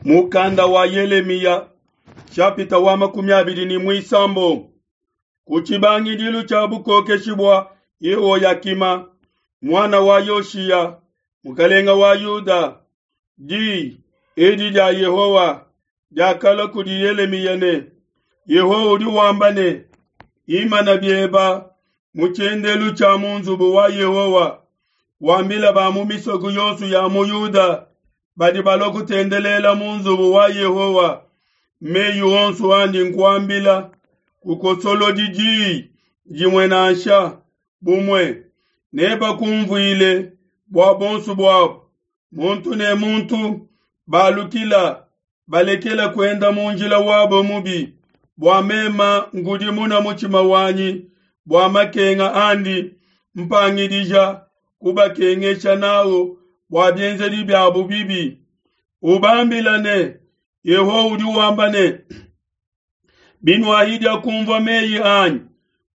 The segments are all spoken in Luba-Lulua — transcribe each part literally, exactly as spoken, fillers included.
Mukanda wa Yelemiya shapita wa makumi abidi ne muisambombo ku tshibangidilu tshia bukokeshi bua Yehoyakima muana wa Yoshiya mukalenga wa Yuda, diyi edi dia Yehowa diakalua kudi Yelemiya ne, Yehowa udi wamba ne, imana bieba mu tshiendelu tshia mu nzubu wa Yehowa, wambila ba mu misoko yonso ya mu Yuda badi balua kutendelela mu nzubu wa Yehowa meyi onso andi nkuambila, kukosolodi diyi dimue nansha bumue, nebakumvuile bua bonso buabu, muntu ne muntu balukila balekela kuenda mu njila wabo mubi, bua mema nkudimuna mutshima wanyi bua makenga andi mpangidija kubakengesha nawu bua bienzedi biabu bibi. Ubambila ne, Yehowa udi wamba ne, binuahidia kumvua meyi anyi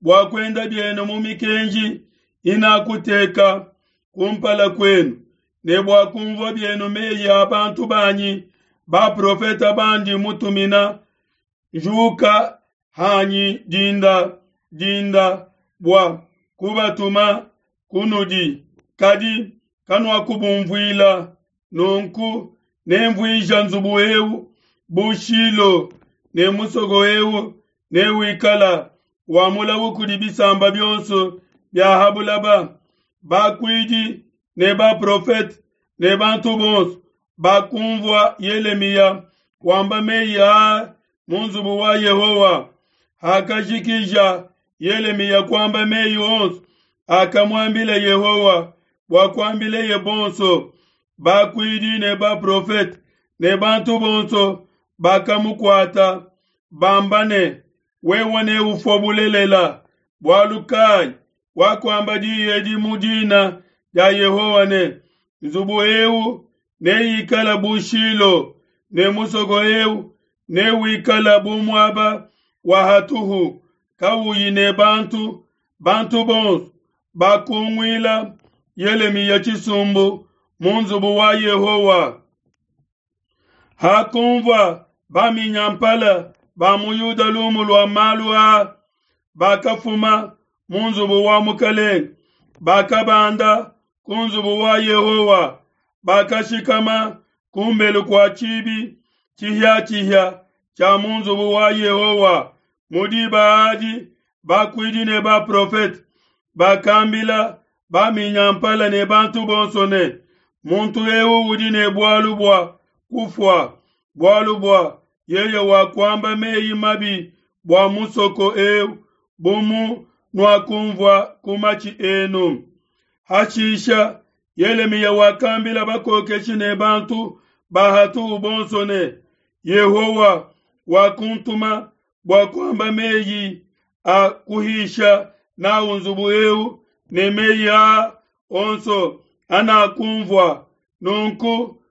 bua kuenda bienu mu mikenji inakuteka kumpala kuenu, ne bua kumvua bienu meyi a bantu banyi baprofeta bandi mutumina, njuka hanyi dinda dinda bua kubatuma kunudi, kadi kanuakubumvuila. Nunku nemvuija nzubu eu bu Shilo, ne musoko eu newikala wa mulawu kudi bisamba bionso bia ha bulaba. Bakuidi ne baprofete ne bantu bonso bakumvua Yelemiya wamba meyi aa mu nzubu wa Yehowa. Hakajikija Yelemiya kuamba meyi onso akamuambila Yehowa bua kuambileye bonso, bakuidi ne baprofete ne bantu bonso bakamukuata, bamba ne, wewe neufue bulelela, bualu kai wakuamba diyi edi mu dina dia Yehowa ne, nzubu eu neikala bu Shilo, ne musoko eu newikala bu muaba wa hatuhu kauyi ne bantu. Bantu bonso bakunguila Yelemiya tshisumbu mu nzubu wa Yehowa. Hakumvua baminyampala ba mu Yuda lumu lua malu aa, bakafuma mu nzubu wa mukalenge, bakabanda ku nzubu wa Yehowa, bakashikama kumbelu kua tshibi tshihiatshihia tshia mu nzubu wa Yehowa. Mu diba adi bakuidi ne baprofete bakambila baminyampala ne bantu bonso ne, muntu eu udi ne bualu bua kufua, bualu bua yeye wakuamba meyi mabi bua musoko eu, bu mu nuakumvua ku matshi enu. Hashisha Yelemiya wakambila bakokeshi ne bantu ba hatuhu bonso ne, Yehowa wakuntuma bua kuamba meyi a kuhisha nawu nzubu eu ne meyi aa onso anakumvua. Nunku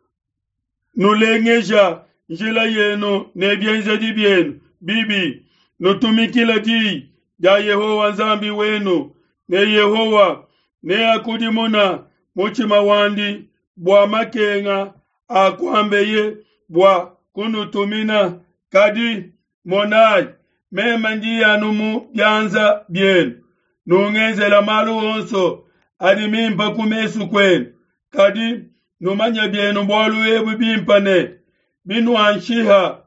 nulengeja njila yenu ne bienzedi bienu bibi, nutumikile diyi dia Yehowa Nzambi wenu, ne Yehowa neakudimuna mutshima wandi bua makenga akuambeye bua kunutumina. Kadi monai, meme ndi anu mu bianza bienu, nungenzela malu onso adi mimpe ku mesu kuenu. Kadi numanye bienu bualu ebu bimpe ne, binuanshiha,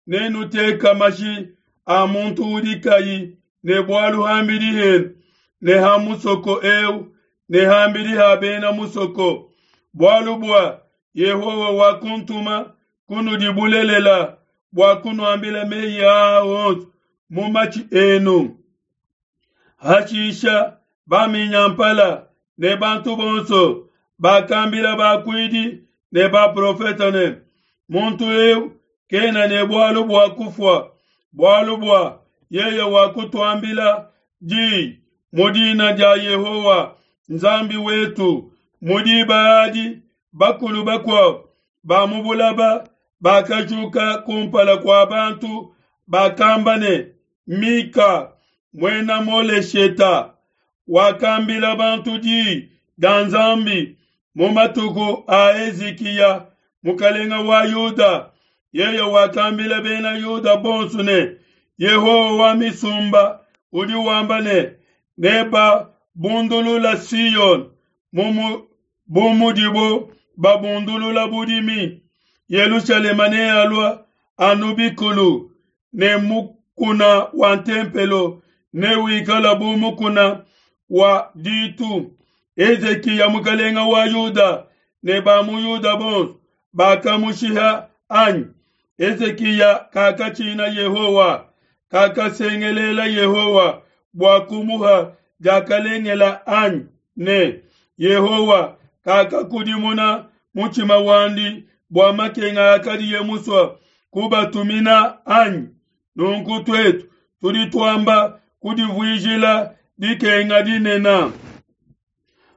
nenuteka mashi a muntu udi kayi ne bualu hambidi henu ne ha musoko eu ne hambidi ha bena musoko, bualu bua Yehowa wakuntuma kunudi bulelela bua kunuambila meyi aa onso mu matshi enu. Hashisha baminyampala ne bantu bonso bakambila bakuidi ne baprofete ne, muntu eu kena ne bualu bua kufua, bualu bua yeye wakutuambila diyi mu dina dia Yehowa Nzambi wetu. Mu diba adi bakulu bakuabo ba mu bulaba bakajuka kumpala kua bantu, bakamba ne, Mika muena Molesheta wakambila bantu diyi dia Nzambi mu matuku a Hezikiya mukalenga wa Yuda, Yeye wakambila Bena Yuda bonso ne, Yehowa wa misumba udi wamba ne, Nebabundulula Siyone bu mudibo babundulula budimi. Yelushalema nealua anu bikulu, ne mukuna wa ntempelo newikala bu mukuna wa ditu. Hezikiya mukalenga wa Yuda ne ba mu Yuda bonso bakamushiha anyi? Hezikiya kakatshina Yehowa, kakasengelela Yehowa bua kumuha diakalengela anyi ne, Yehowa kakakudimuna mutshima wandi bua makenga akadiye musue kubatumina anyi? Nunku tuetu tudi tuamba kudivuijila dikenga dinene.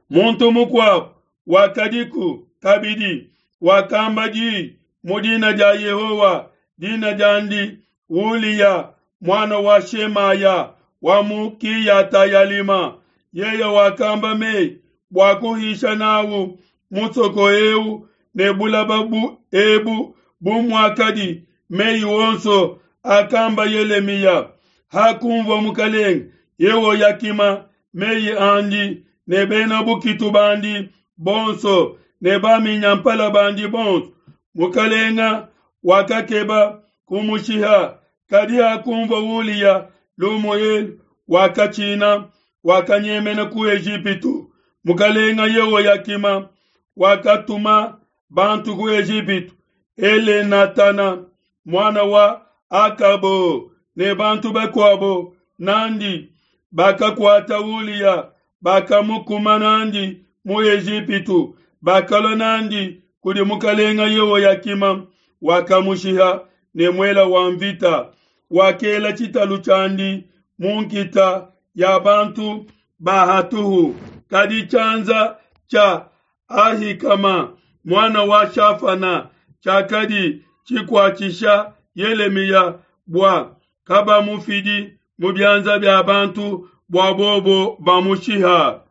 Muntu mukuabo wakadiku kabidi wakamba di mu dina dia Yehowa, dina diandi Uliya muana wa Shemaya wa mu Kiyata-yalima. Yeye wakamba mei bua kuhisha n'au musoko eu ne bulaba bu ebu bu muakadi mei onso akamba Yelemiya. Hakunvua mukelenge Yehoyakima mei andi ne bena bukitu bandi bonso ne baminyampala bandi bonso, mukelenge wakakeba kumushiha. Kadi hakunvua Uliya lumu elu, wakatshina, wakanyemena ku Ejipitu. Mukelenge Yehoyakima wakatuma bantu ku Ejipitu, Elenatana muana wa Akabo ne bantu bakuabo nandi bakakuata Uliya, bakamukuma nandi mu Ejipitu, bakalua nandi kudi mukelenge Yehoyakima, wakamushiha ne muele wa mvita. Wakela tshitalu tshiandi mu nkita ya bantu ba hatuhu. Kadi tshianza tshia Ahikama muana wa Shafana tshiakadi tshikuatshisha Yelemiya bua kabamufidi mu bianza bia bantu bua bobo bamushiha.